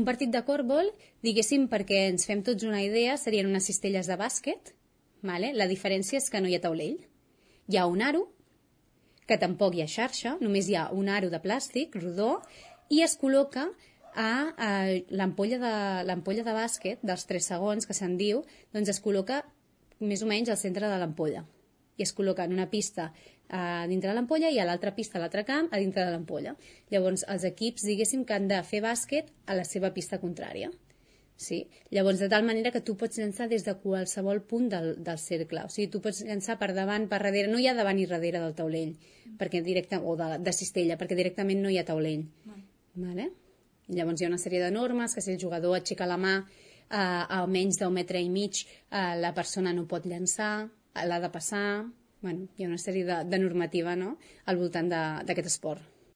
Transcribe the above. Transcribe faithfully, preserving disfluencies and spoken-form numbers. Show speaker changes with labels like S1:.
S1: un partit de còrbol, diguéssim, perquè ens fem tots una idea, serien unes cistelles de bàsquet, vale? La diferència és que no hi ha taulell. Hi ha un aro, que tampoc hi ha xarxa, només hi ha un aro de plàstic rodó, i es col·loca a, a l'ampolla de, l'ampolla de bàsquet dels tres segons, que se'n diu, doncs es col·loca més o menys al centre de l'ampolla. I es col·loca en una pista a dintre de l'ampolla i a l'altra pista, a l'altre camp, a dintre de l'ampolla. Llavors, els equips, diguéssim, que han de fer bàsquet a la seva pista contrària. Sí? Llavors, de tal manera que tu pots llançar des de qualsevol punt del, del cercle. O sigui, tu pots llançar per davant, per darrere. No hi ha davant i darrere del taulell, perquè directe, o de, de cistella, perquè directament no hi ha taulell. Vale? Llavors, hi ha una sèrie de normes, que si el jugador aixeca la mà eh, a menys d'un metre i mig, eh, la persona no pot llançar, l'ha de passar. Bueno, hi ha una sèrie de, de normativa, no?, al voltant d'aquest esport.